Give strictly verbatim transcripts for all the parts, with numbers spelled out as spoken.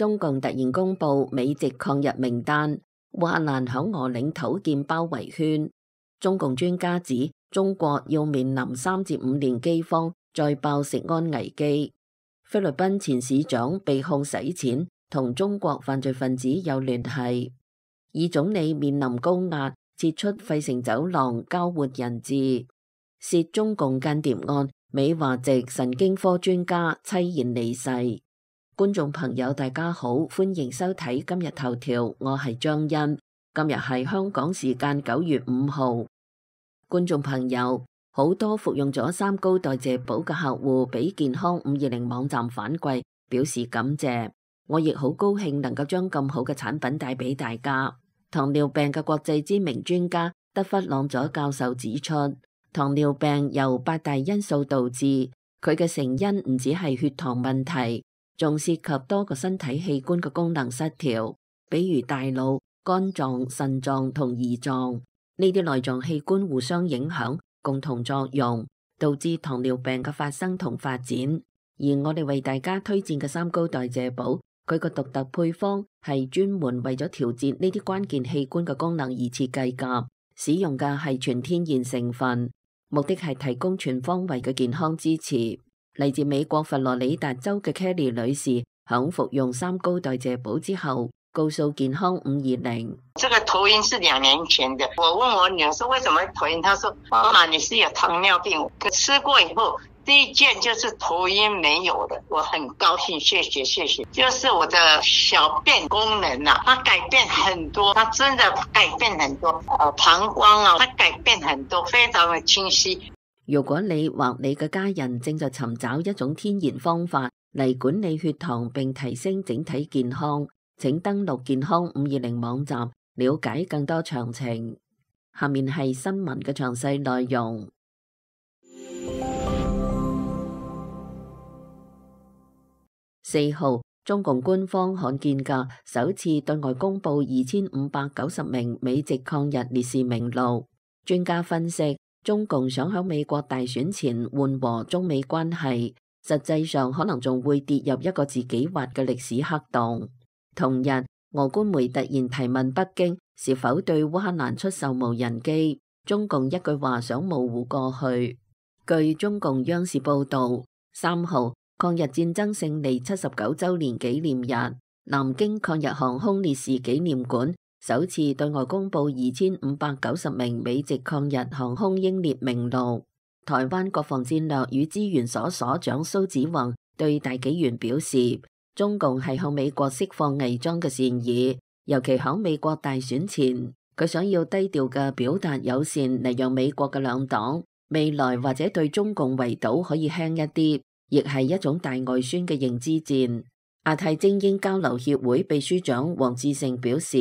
中共突然公布美籍抗日名單，烏克蘭響俄領土建包圍圈。中共專家指，中國要面臨三至五年饑荒，再爆食安危機。菲律賓前市長被控洗錢，同中國犯罪分子有聯繫。以總理面臨高壓，撤出費城走廊交換人質。涉中共間諜案，美華籍神經科專家淒然離世。觀眾朋友大家好，歡迎收睇今日頭條，我係張欣。今日係香港時間九月五號。觀眾朋友，好多服用咗三高代謝寶嘅客戶俾健康五二零網站反饋，表示感謝。我亦好高興能夠將咁好嘅產品帶俾大家。糖尿病嘅國際知名專家德弗朗佐教授指出，糖尿病由八大因素導致，佢嘅成因唔只係血糖問題，仲涉及多個身體器官嘅功能失調，比如大腦、肝臟、腎臟同胰臟，呢啲內臟器官互相影響，共同作用，導致糖尿病嘅發生同發展。而我哋為大家推薦嘅三高代謝寶，佢個獨特配方係專門為咗調節呢啲關鍵器官嘅功能而設計㗎，使用嘅係全天然成分，目的係提供全方位嘅健康支持。嚟自美國佛羅里達州嘅 Kelly 女士，響服用三高代謝寶之後，告訴健康五二零：這個頭暈是兩年前的。我問我女兒說為什麼會頭暈，她說媽媽你是有糖尿病。吃過以後，第一件就是頭暈沒有了，我很高興，謝謝謝謝。就是我的小便功能啊，它改變很多，它真的改變很多。呃，膀胱啊，它改變很多，非常的清晰。如果你或你嘅家人正在尋找一種天然方法嚟管理血糖並提升整體健康，請登錄健康五二零網站了解更多詳情。下面係新聞嘅詳細內容。四號，中共官方罕見嘅首次對外公布二千五百九十名美籍抗日烈士名錄。專家分析，中共想喺美國大選前緩和中美關係，實際上可能仲會跌入一個自己挖嘅歷史黑洞。同日，俄官媒突然提問北京是否對烏克蘭出售無人機，中共一句話想模糊過去。據中共央視報道，三號抗日戰爭勝利七十九週年紀念日，南京抗日航空烈士紀念館首次對外公布二千五百九十名美籍抗日航空英烈名錄。台灣國防戰略與資源所所長蘇子宏對大紀元表示，中共係向美國釋放偽裝嘅善意，尤其響美國大選前，佢想要低調嘅表達友善嚟讓美國嘅兩黨未來或者對中共圍堵可以輕一啲，亦係一種大外宣嘅認知戰。亞太精英交流協會秘書長黃志成表示，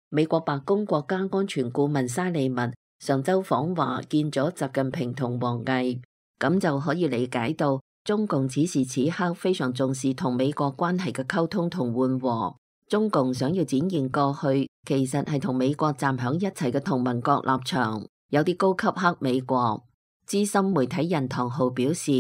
美國白宮國家安全顧問沙利文上週訪華見咗習近平同王毅，咁就可以理解到中共此時此刻非常重視同美國關係嘅溝通同緩和。中共想要展現過去其實係同美國站響一齊嘅同盟國立場，有啲高級黑美國。資深媒體人唐浩表示，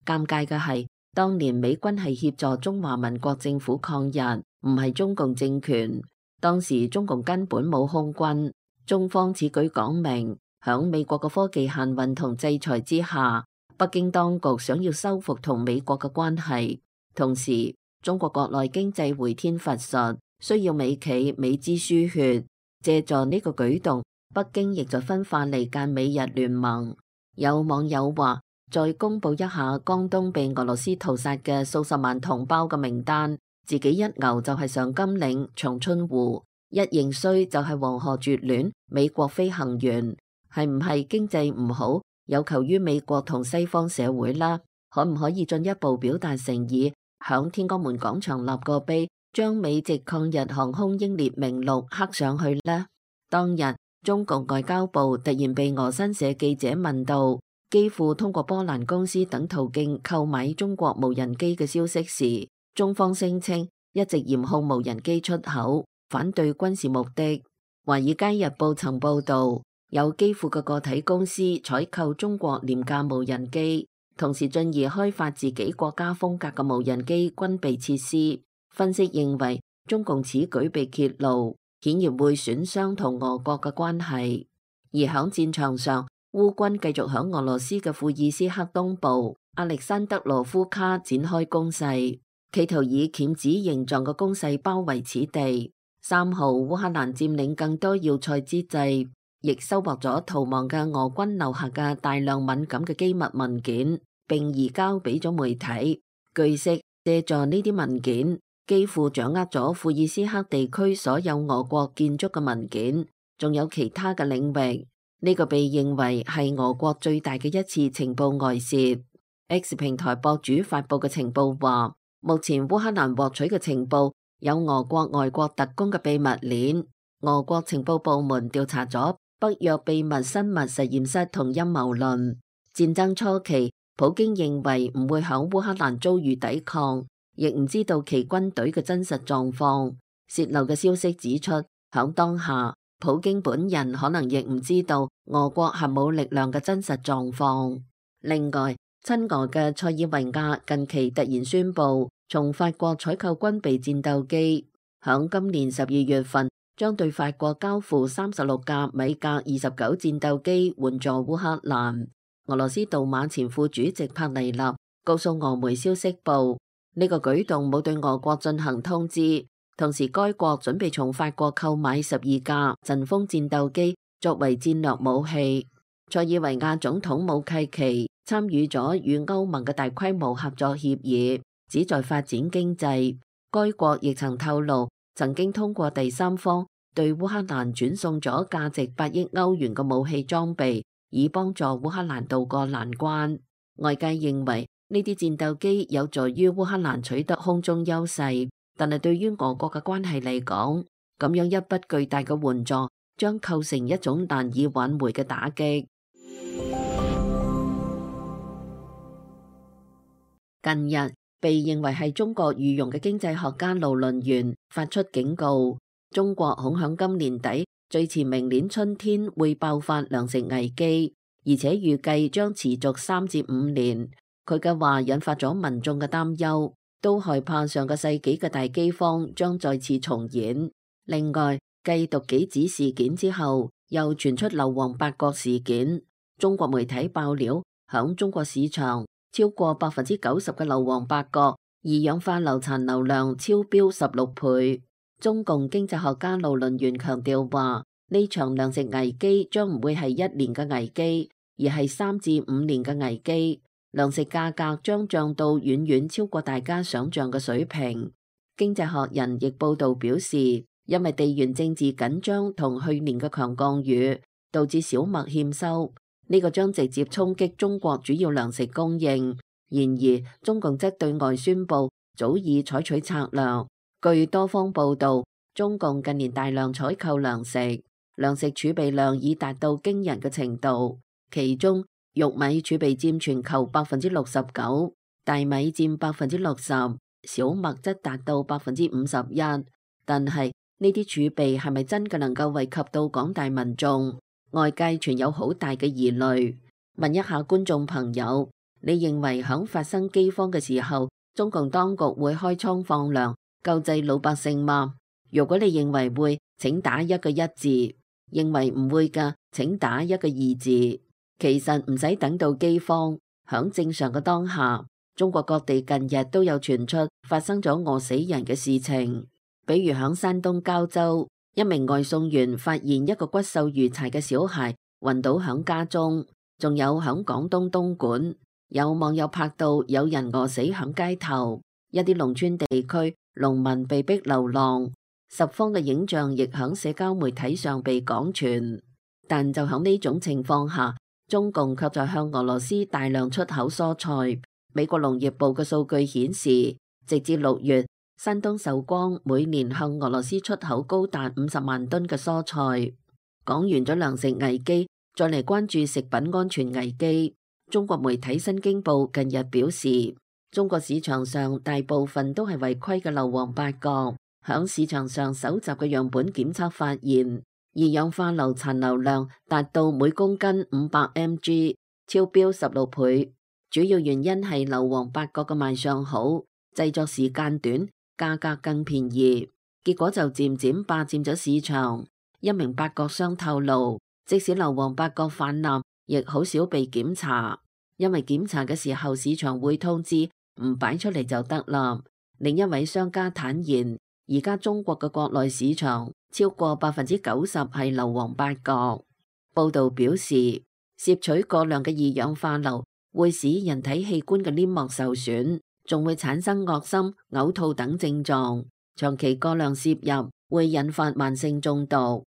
尷尬嘅係當年美軍係協助中華民國政府抗日，唔係中共政權。當時中共根本冇空軍，中方此舉講明，響美國嘅科技限運同制裁之下，北京當局想要修復同美國嘅關係。同時，中國國內經濟回天乏術，需要美企美資輸血，借助呢個舉動，北京亦在分化離間美日聯盟。有網友話，再公布一下江東被俄羅斯屠殺嘅數十萬同胞嘅名單，自己一牛就係上甘嶺、長春湖，一認衰就係黃河絕戀、美國飛行員，係唔係經濟唔好，有求於美國同西方社會啦？可唔可以進一步表達誠意，響天安門廣場立個碑，將美籍抗日航空英烈名錄刻上去呢？當日中共外交部突然被俄新社記者問到，幾乎通過波蘭公司等途徑購買中國無人機嘅消息時，中方聲稱一直嚴控無人機出口，反對軍事目的。華爾街日報曾報道，有基輔嘅個體公司採購中國廉價無人機，同時進而開發自己國家風格嘅無人機軍備設施。分析認為，中共此舉被揭露，顯然會損傷同俄國嘅關係。而響戰場上，烏軍繼續響俄羅斯嘅庫爾斯克東部亞歷山德羅夫卡展開攻勢，企圖以鉗子形狀嘅攻勢包圍此地。三號，烏克蘭佔領更多要塞之際，亦收穫咗逃亡嘅俄軍留下嘅大量敏感嘅機密文件，並移交俾咗媒體。據悉，借助呢啲文件，幾乎掌握咗庫爾斯克地區所有俄國建築嘅文件，仲有其他嘅領域。呢、這個被認為係俄國最大嘅一次情報外泄。X 平台博主發布嘅情報話，目前烏克蘭獲取嘅情報有俄國外國特工嘅秘密鏈。俄國情報部門調查咗北約秘密生物實驗室同陰謀論。戰爭初期，普京認為唔會響烏克蘭遭遇抵抗，亦唔知道其軍隊嘅真實狀況。洩漏嘅消息指出，響當下，普京本人可能亦唔知道俄國核武力量嘅真實狀況。另外，親俄嘅塞爾維亞近期突然宣布從法國採購軍備戰鬥機，響今年十二月份將對法國交付三十六架米格二十九戰鬥機援助烏克蘭。俄羅斯杜馬前副主席帕尼納告訴俄媒消息報，呢、這個舉動冇對俄國進行通知。同時，該國準備從法國購買十二架陣風戰鬥機作為戰略武器。塞爾維亞總統武契奇參與咗與歐盟嘅大規模合作協議，旨在發展經濟。該國亦曾透露，曾經通過第三方對烏克蘭轉送咗價值八億歐元嘅武器裝備，以幫助烏克蘭渡過難關。外界認為呢啲戰鬥機有助於烏克蘭取得空中優勢。但係對於俄國嘅關係嚟講，咁樣一筆巨大嘅援助將構成一種難以挽回嘅打擊。近日被認為係中國御用嘅經濟學家盧倫元發出警告，中國恐響今年底最遲明年春天會爆發糧食危機，而且預計將持續三至五年。佢嘅話引發咗民眾嘅擔憂，都害怕上個世紀嘅大饑荒將再次重演。另外，繼毒杞子事件之後，又傳出硫磺八角事件。中國媒體爆料，響中國市場超過百分之九十嘅硫磺八角二氧化硫殘留量超標十六倍。中共經濟學家盧倫元強調話，呢場糧食危機將唔會係一年嘅危機，而係三至五年嘅危機。糧食價格將漲到遠遠超過大家想象嘅水平。經濟學人亦報道表示，因為地緣政治緊張同去年嘅強降雨，導致小麥欠收，呢、這個將直接衝擊中國主要糧食供應。然而，中共則對外宣布早已採取策略。據多方報道，中共近年大量採購糧食，糧食儲備量已達到驚人嘅程度，其中玉米儲備佔全球百分之六十九，大米佔百分之六十，小麥則達到百分之五十一。但係呢啲儲備係咪真嘅能夠惠及到廣大民眾？外界存有好大嘅疑慮。問一下觀眾朋友，你認為響發生饑荒嘅時候，中共當局會開倉放糧救濟老百姓嗎？如果你認為會，請打一個一字；認為唔會嘅，請打一個二字。其實唔使等到饑荒，響正常嘅當下，中國各地近日都有傳出發生咗餓死人嘅事情。比如響山東膠州，一名外送員發現一個骨瘦如柴嘅小孩暈倒響家中，仲有響廣東東莞，有網友拍到有人餓死響街頭，一啲農村地區農民被逼流浪，十方嘅影像亦響社交媒體上被廣傳。但就響呢種情況下，中共卻在向俄羅斯大量出口蔬菜。美國農業部嘅數據顯示，直至六月，山東壽光每年向俄羅斯出口高達五十萬噸嘅蔬菜。講完咗糧食危機，再嚟關注食品安全危機。中國媒體新京報近日表示，中國市場上大部分都係違規嘅硫磺八角。響市場上搜集嘅樣本檢測發現，二氧化硫殘留量達到每公斤五百 milligrams， 超標十六倍。主要原因係硫磺八角嘅賣相好，製作時間短，價格更便宜，結果就漸漸霸佔咗市場。一名八角商透露，即使硫磺八角泛濫，亦好少被檢查，因為檢查嘅時候市場會通知，唔擺出嚟就得啦。另一位商家坦言，而家中國嘅國內市場超過百分之九十係硫磺八角。報道表示，攝取過量嘅二氧化硫會使人體器官嘅黏膜受損，仲會產生噁心、嘔吐等症狀。長期過量攝入會引發慢性中毒。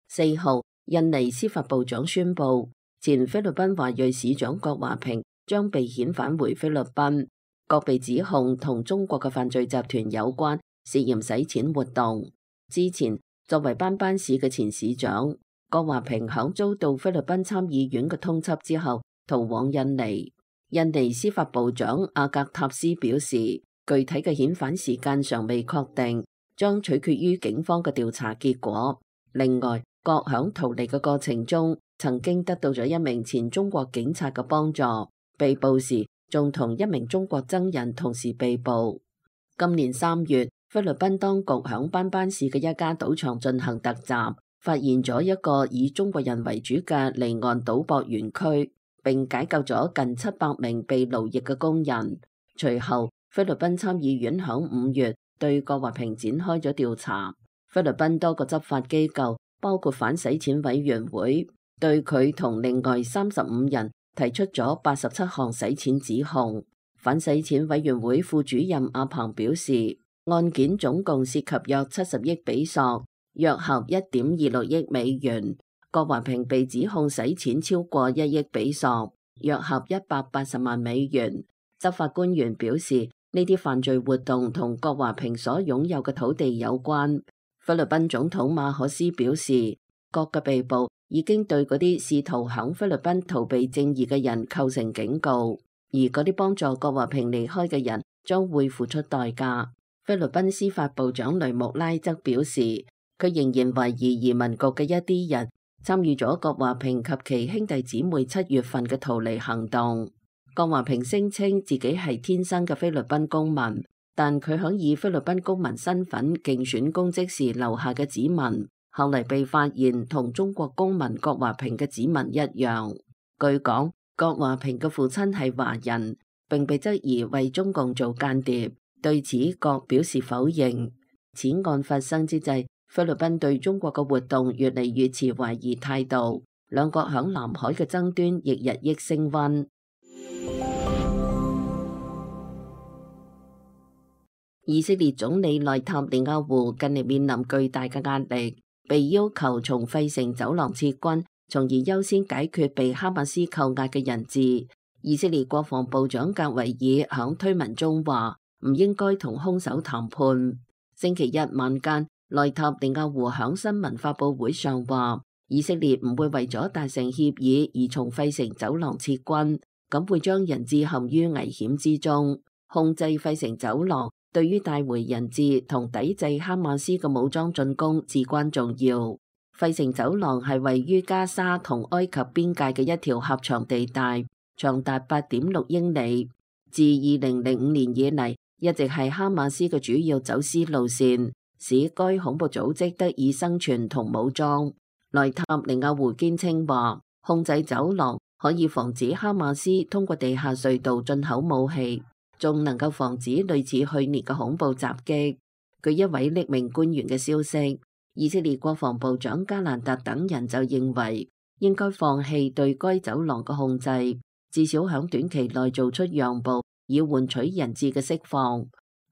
四號，印尼司法部長宣布，前菲律賓華裔市長郭華平將被遣返回菲律賓。各被指控同中國嘅犯罪集團有關，涉嫌洗錢活動。之前作為班班市嘅前市長，郭華平響遭到菲律賓參議院嘅通緝之後，逃往印尼。印尼司法部長阿格塔斯表示，具體嘅遣返時間尚未確定，將取決於警方嘅調查結果。另外，郭響逃離嘅過程中，曾經得到咗一名前中國警察嘅幫助，被捕時仲同一名中國僧人同時被捕。今年三月，菲律賓當局響班班市嘅一家賭場進行突襲，發現咗一個以中國人為主嘅離岸賭博園區，並解救咗近七百名被奴役嘅工人。隨後，菲律賓參議院響五月對郭華平展開咗調查。菲律賓多個執法機構，包括反洗錢委員會，對佢同另外三十五人提出咗八十七項洗錢指控。反洗錢委員會副主任阿鵬表示，案件總共涉及約七十億比索，約合一點二六億美元。郭華平被指控洗錢超過一億比索，約合一百八十萬美元。執法官員表示，呢啲犯罪活動同郭華平所擁有嘅土地有關。菲律賓總統馬可斯表示，郭嘅被捕已經對嗰啲試圖響菲律賓逃避正義嘅人構成警告，而嗰啲幫助郭華平離開嘅人將會付出代價。菲律賓司法部長雷穆拉則表示，佢仍然懷疑移民局嘅一啲人參與咗郭華平及其兄弟姊妹七月份嘅逃離行動。郭華平聲稱自己係天生嘅菲律賓公民，但佢響以菲律賓公民身份競選公職時留下嘅指紋，後嚟被發現同中國公民郭華平嘅指紋一樣。據講，郭華平嘅父親係華人，並被質疑為中共做間諜。對此，郭表示否認。此案發生之際，菲律賓對中國嘅活動越嚟越持懷疑態度，兩國響南海嘅爭端亦日益升溫。以色列總理內塔尼亞胡近嚟面臨巨大嘅壓力，被要求從費城走廊撤軍，從而優先解決被哈馬斯扣押嘅人質。以色列國防部長格維爾響推文中話，唔應該同兇手談判。星期一晚間，內塔尼亞胡響新聞發佈會上話，以色列唔會為咗達成協議而從費城走廊撤軍，咁會將人質陷於危險之中。控制費城走廊對於帶回人質同抵制哈馬斯嘅武裝進攻至關重要。費城走廊係位於加沙同埃及邊界嘅一條狹長地帶，長達八點六英里。自二零零五年以嚟，一直係哈馬斯嘅主要走私路線，使該恐怖組織得以生存同武裝。內塔尼亞胡堅稱話，控制走廊可以防止哈馬斯通過地下隧道進口武器，仲能夠防止類似去年嘅恐怖襲擊。據一位匿名官員嘅消息，以色列國防部長加蘭特等人就認為應該放棄對該走廊嘅控制，至少響短期內做出讓步，以換取人質嘅釋放。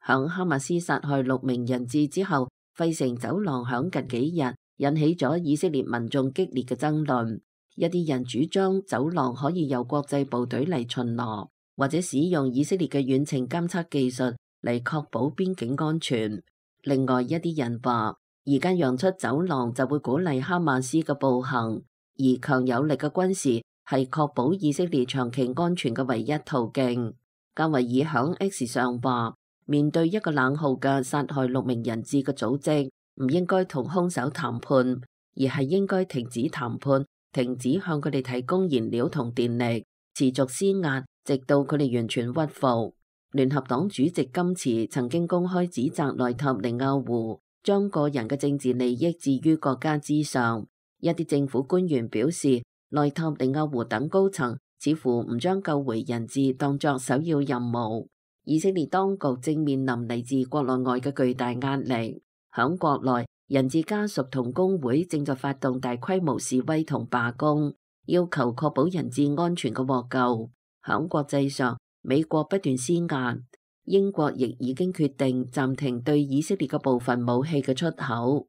響哈馬斯殺害六名人質之後，費城走廊響近幾日引起咗以色列民眾激烈嘅爭論。一啲人主張走廊可以由國際部隊嚟巡邏，或者使用以色列嘅遠程監測技術嚟確保邊境安全。另外一啲人話，而家讓出走廊就會鼓勵哈馬斯嘅暴行，而強有力嘅軍事係確保以色列長期安全嘅唯一途徑。加維爾響 X 上話，面對一個冷酷嘅殺害六名人質嘅組織，唔應該同兇手談判，而係應該停止談判，停止向佢哋提供燃料同電力，持續施壓，直到佢哋完全屈服。聯合黨主席金池曾經公開指責內塔尼亞胡將個人嘅政治利益置於國家之上。一啲政府官員表示，內塔尼亞胡等高層似乎唔將救回人質當作首要任務。以色列當局正面臨嚟自國內外嘅巨大壓力。響國內，人質家屬同工會正在發動大規模示威同罷工，要求確保人質安全嘅獲救。響國際上，美國不斷施壓，英國亦已經決定暫停對以色列嘅部分武器嘅出口。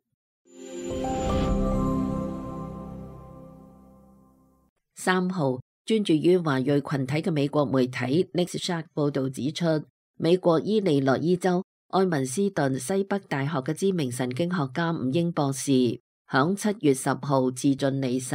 三號，專注於華裔群體嘅美國媒體 Nexshark 報導指出，美國伊利諾伊州愛文斯頓西北大學嘅知名神經學家吳英博士響七月十號自盡離世。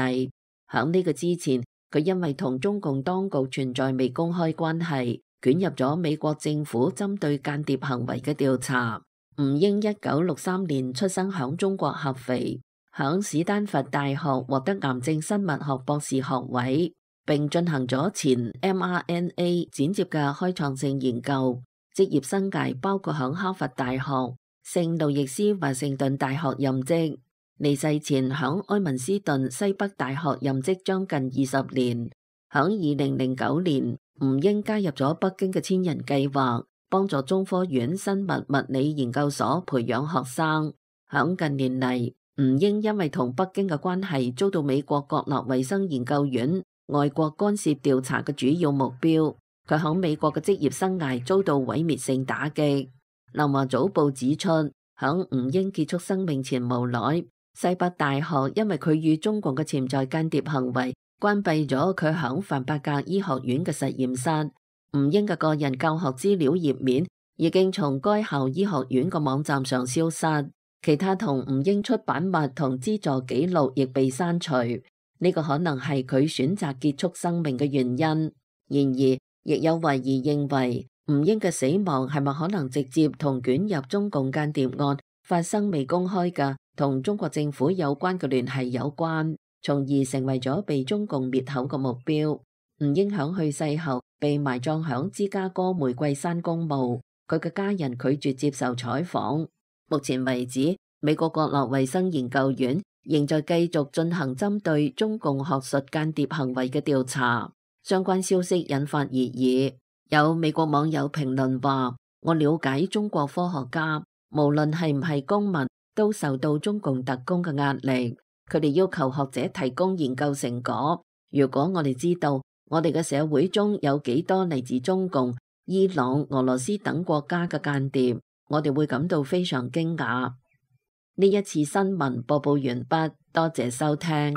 響呢個之前，佢因為同中共當局存在未公開關係，捲入咗美國政府針對間諜行為嘅調查。吳英一九六三年出生響中國合肥，響史丹佛大學獲得癌症生物學博士學位，並進行咗前 M R N A 剪接嘅開創性研究。職業生涯包括響哈佛大學、聖路易斯華盛頓大學任職。離世前響埃文斯頓西北大學任職將近二十年。響二零零九年，吳英加入咗北京嘅千人計劃，幫助中科院生物物理研究所培養學生。響近年嚟，吳英因為同北京嘅關係，遭到美國國立衛生研究院外國干涉調查嘅主要目標。佢響美國嘅職業生涯遭到毀滅性打擊。南華早報指出，響吳英結束生命前無耐，西北大學因為佢與中共嘅潛在間諜行為，關閉咗佢響范伯格醫學院嘅實驗室。吳英嘅個人教學資料頁面已經從該校醫學院嘅網站上消失，其他同吳英出版物同資助記錄亦被刪除。呢個可能係佢選擇結束生命嘅原因。然而，亦有懷疑認為吳英嘅死亡係咪可能直接同捲入中共間諜案發生未公開嘅同中國政府有關嘅聯繫有關，從而成為咗被中共滅口嘅目標。吳英響去世後被埋葬響芝加哥玫瑰山公墓，佢嘅家人拒絕接受採訪。目前為止，美國國立衛生研究院仍在繼續進行針對中共學術間諜行為嘅調查。相關消息引發熱議，有美國網友評論話：我了解中國科學家，無論係唔係公民，都受到中共特工嘅壓力，佢哋要求學者提供研究成果。如果我哋知道我哋嘅社會中有幾多嚟自中共、伊朗、俄羅斯等國家嘅間諜，我哋會感到非常驚訝。呢一次新聞播報完畢，多謝收聽。